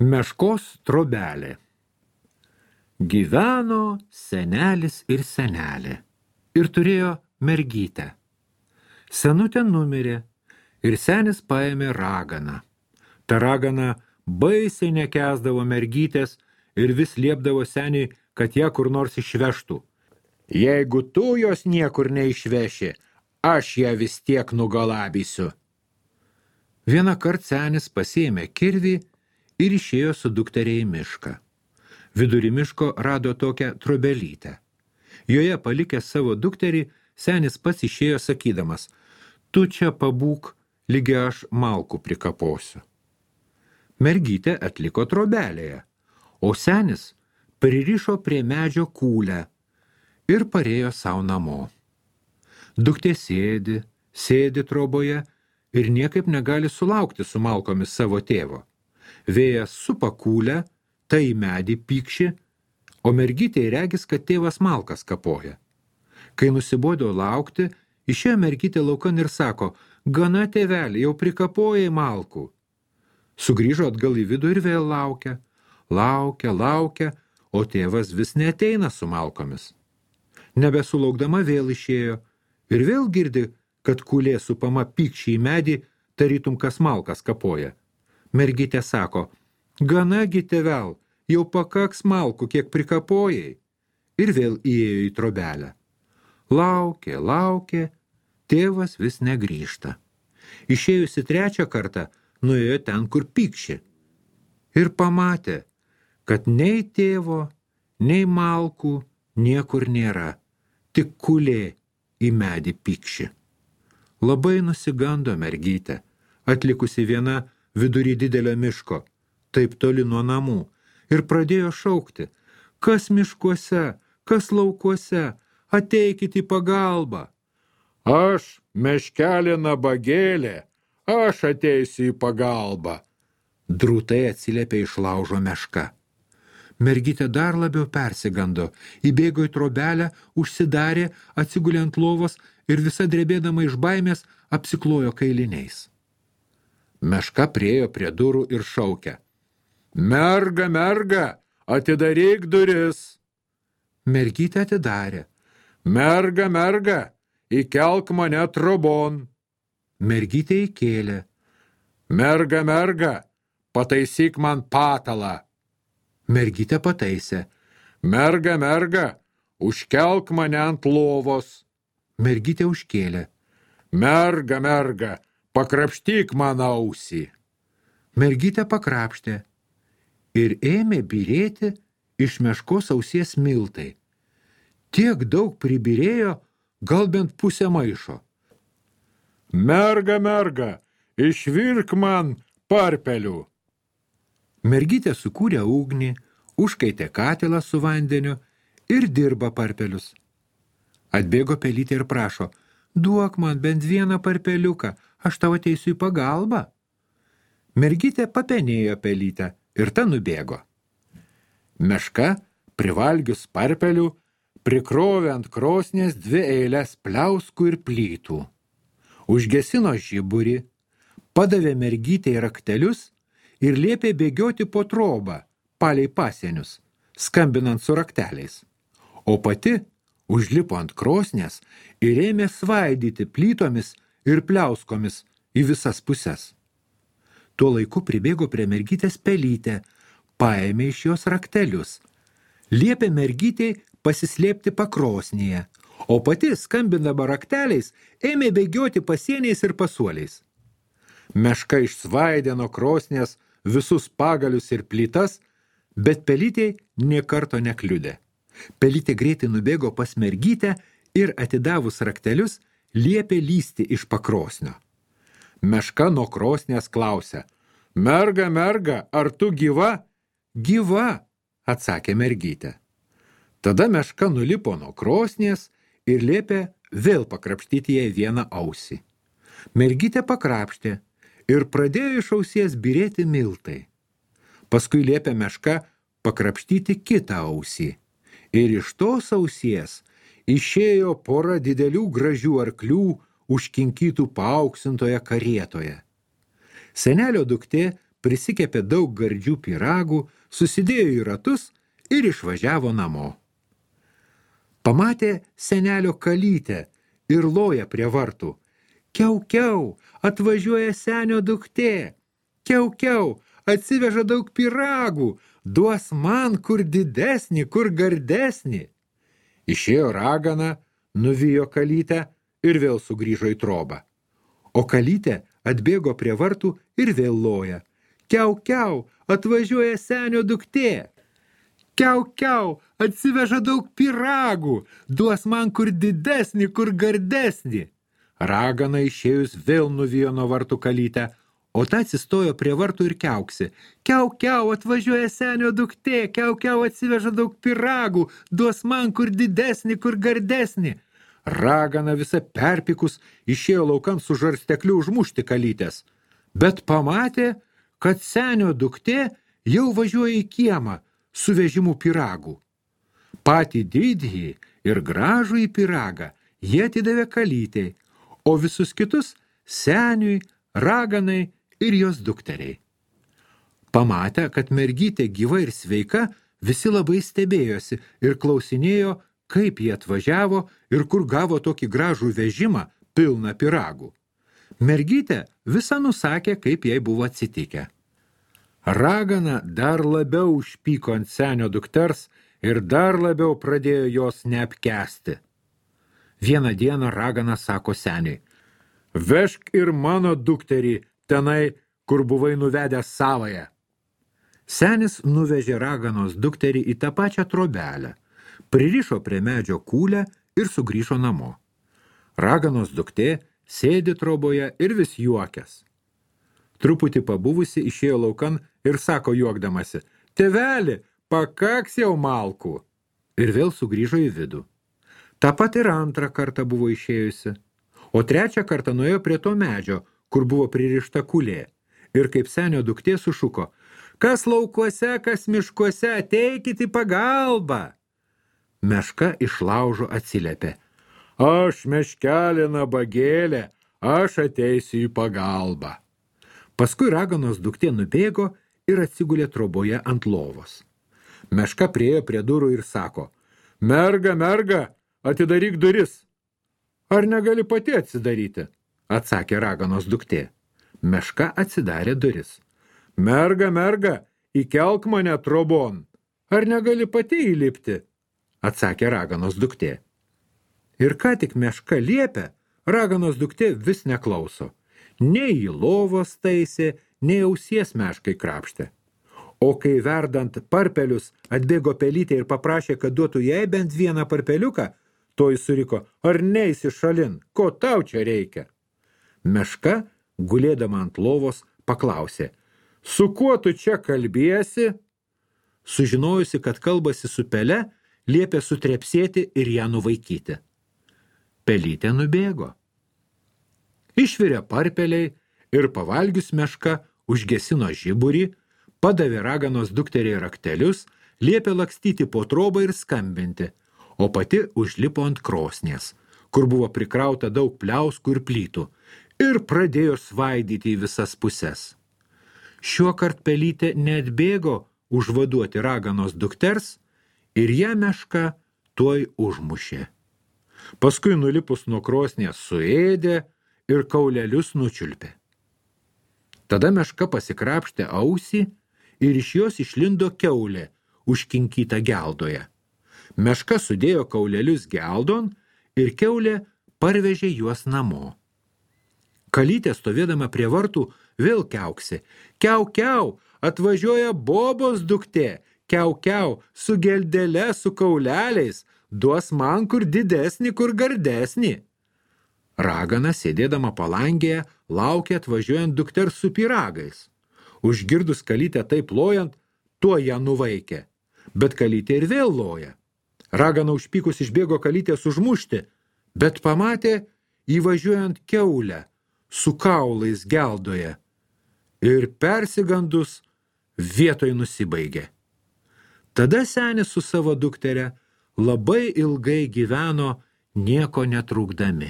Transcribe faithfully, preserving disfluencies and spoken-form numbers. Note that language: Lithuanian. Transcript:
Meškos trobelė. Gyveno senelis ir senelė ir turėjo mergytę. Senutė numirė ir senis paėmė raganą. Ta ragana baisiai nekęsdavo mergytės ir vis liepdavo seniui, kad ją kur nors išvežtų. Jeigu tu jos niekur neišveši, aš ją vis tiek nugalabysiu. Vieną kart senis pasiėmė kirvį ir išėjo su dukteriai į mišką. Vidury miško rado tokią trobelytę. Joje palikęs savo dukterį, senis pats išėjo sakydamas, tu čia pabūk, lygi aš malkų prikaposiu. Mergytė atliko trobelėje, o senis pririšo prie medžio kūlę ir parėjo savo namo. Duktė sėdi, sėdi troboje ir niekaip negali sulaukti su malkomis savo tėvo. Vėjas supa kūlę, tai medį pykši, o mergytė regis, kad tėvas malkas kapoja. Kai nusibodo laukti, išėjo mergytė laukan ir sako, gana tėvelį, jau prikapojai malkų. Sugrįžo atgal į vidų ir vėl laukia, laukia, laukia, o tėvas vis neateina su malkomis. Nebesulaukdama vėl išėjo ir vėl girdi, kad kūlė supama pykščiai į medį, tarytum kas malkas kapoja. Mergytė sako, ganagi tėvel, jau pakaks malkų, kiek prikapojai. Ir vėl įėjo į trobelę. Laukė, laukė, tėvas vis negrįžta. Išėjusi trečią kartą, nuėjo ten, kur pykši. Ir pamatė, kad nei tėvo, nei malkų niekur nėra, tik kūlė į medį pykši. Labai nusigando mergytė, atlikusi viena vidury didelio miško, taip toli nuo namų, ir pradėjo šaukti, kas miškuose, kas laukuose, ateikit į pagalbą. Aš, meškelė nabagėlė, aš ateisiu į pagalbą. Drūtai atsiliepė iš laužo meška. Mergytė dar labiau persigando, įbėgo į trobelę, užsidarė, atsigulė ant lovos ir visa drebėdama iš baimės apsiklojo kailiniais. Meška priėjo prie durų ir šaukė. Merga, merga, atidaryk duris. Mergytė atidarė. Merga, merga, įkelk mane trobon. Mergytė įkėlė. Merga, merga, pataisyk man patalą. Mergytė pataisė. Merga, merga, užkelk mane ant lovos. Mergytė užkėlė. Merga, merga, pakrapštyk man ausį. Mergytė pakrapštė ir ėmė byrėti iš meškos ausies miltai. Tiek daug pribirėjo, gal bent pusę maišo. Merga, merga, išvirk man parpelių. Mergytė sukūrė ugnį, užkaitė katilą su vandeniu ir dirba parpelius. Atbėgo pelytė ir prašo, duok man bent vieną parpeliuką, aš tau ateisiu į pagalbą. Mergytė papenėjo pelytę ir ta nubėgo. Meška, privalgius parpelių, prikrovė ant krosnės dvi eilės pliauskų ir plytų. Užgesino žiburį, padavė mergytei raktelius ir liepė bėgioti po trobą, palei pasienius, skambinant su rakteliais. O pati užlipo ant krosnės ir ėmė svaidyti plytomis ir pliauskomis į visas puses. Tuo laiku pribėgo prie mergytės pelytė, paėmė iš jos raktelius, liepė mergytei pasislėpti pakrosnėje, o pati, skambindama rakteliais, ėmė bėgioti pasieniais ir pasuoliais. Meška išsvaidė nuo krosnės visus pagalius ir plytas, bet pelytei nė karto nekliudė. Pelytė greitai nubėgo pas mergytę ir atidavus raktelius, liepė lysti iš pakrosnio. Meška nuo krosnės klausė, merga, merga, ar tu gyva? Gyva, atsakė mergytė. Tada meška nulipo nuo krosnės ir liepė vėl pakrapštyti jai vieną ausį. Mergytė pakrapštė ir pradėjo iš ausies byrėti miltai. Paskui liepė meška pakrapštyti kitą ausį. Ir iš tos ausies išėjo pora didelių gražių arklių užkinkytų paauksintoje karietoje. Senelio duktė prisikepė daug gardžių pyragų, susidėjo į ratus ir išvažiavo namo. Pamatė senelio kalytę ir loja prie vartų. Kiau, kiau, atvažiuoja senio duktė. Kiau, kiau, atsiveža daug pyragų, duos man kur didesnį, kur gardesnį. Išėjo ragana, nuvijo kalytę ir vėl sugrįžo į trobą. O kalytė atbėgo prie vartų ir vėl loja. Kiau, kiau, atvažiuoja senio duktė. Kiau, kiau, atsiveža daug pyragų, duos man kur didesnį, kur gardesnį. Ragana išėjus vėl nuvijo nuo vartų kalytę, o ta atsistojo prie vartų ir kiauksi. Kiau, kiau, atvažiuoja senio duktė, kiau, kiau, atsiveža daug pyragų, duos man kur didesnį, kur gardesnį. Ragana visa perpikus išėjo laukan su žarstekliu užmušti kalytės, bet pamatė, kad senio duktė jau važiuoja į kiemą su vežimu pyragų. Patį didįjį ir gražų į pyragą jie atidavė kalytei, o visus kitus seniui, raganai ir jos dukteriai. Pamatę, kad mergytė gyva ir sveika, visi labai stebėjosi ir klausinėjo, kaip jie atvažiavo ir kur gavo tokį gražų vežimą pilną pyragų. Mergytė visą nusakė, kaip jai buvo atsitikę. Ragana dar labiau užpyko ant senio dukters ir dar labiau pradėjo jos neapkęsti. Vieną dieną ragana sako seniui: vežk ir mano dukterį tenai, kur buvai nuvedęs savąją. Senis nuvežė raganos dukterį į tą pačią trobelę, pririšo prie medžio kūlę ir sugrįžo namo. Raganos duktė sėdi troboje ir vis juokės. Truputį pabuvusi išėjo laukan ir sako juokdamasi: tėveli, pakaks jau malkų. Ir vėl sugrįžo į vidų. Ta pat ir antrą kartą buvo išėjusi, o trečią kartą nuėjo prie to medžio, kur buvo pririšta kulė. Ir kaip senio duktė sušuko: kas laukuose, kas miškuose, ateikit į pagalbą. Meška iš laužo atsiliepė: aš meškelė nabagėlė, aš ateisiu į pagalbą. Paskui raganos duktė nubėgo ir atsigulė troboje ant lovos. Meška priėjo prie durų ir sako: merga, merga, atidaryk duris. Ar negali pati atsidaryti? Atsakė raganos duktė. Meška atsidarė duris. Merga, merga, įkelk mane trobon. Ar negali pati įlipti? Atsakė raganos duktė. Ir ką tik meška liepė, raganos duktė vis neklauso. Nei į lovos taisė, nei ausies meškai krapštė. O kai verdant parpelius atbėgo pelytė ir paprašė, kad duotų jai bent vieną parpeliuką, toji suriko: ar neisi šalin, ko tau čia reikia? Meška, gulėdama ant lovos, paklausė: su kuo tu čia kalbiesi? Sužinojusi, kad kalbasi su pele, liepė sutrepsėti ir ją nuvaikyti. Pelytė nubėgo. Išvirė parpeliai ir pavalgius meška užgesino žiburį, padavė raganos dukteriai raktelius, liepė lakstyti po trobą ir skambinti, o pati užlipo ant krosnies, kur buvo prikrauta daug pliauskų ir plytų, ir pradėjo svaidyti į visas puses. Šiuokart pelytė neatbėgo užvaduoti raganos dukters ir ją meška tuoj užmušė. Paskui nulipus nuo krosnės suėdė ir kaulelius nučiulpė. Tada meška pasikrapštė ausį ir iš jos išlindo kiaulė, užkinkyta geldoje. Meška sudėjo kaulelius geldon ir kiaulė parvežė juos namo. Kalytė stovėdama prie vartų vėl kiauksi: kiau, kiau, atvažiuoja bobos duktė, kiau, kiau, su geldele, su kauleliais, duos man kur didesnį, kur gardesnį. Ragana, sėdėdama palangėje, laukė atvažiuojant dukters su pyragais. Užgirdus kalytę taip lojant, tuo ją nuvaikė. Bet kalytė ir vėl loja. Ragana užpykus išbėgo kalytės užmušti, bet pamatė įvažiuojant kiaulę su kaulais geldoje ir persigandus vietoj nusibaigė. Tada senis su savo duktere labai ilgai gyveno nieko netrūkdami.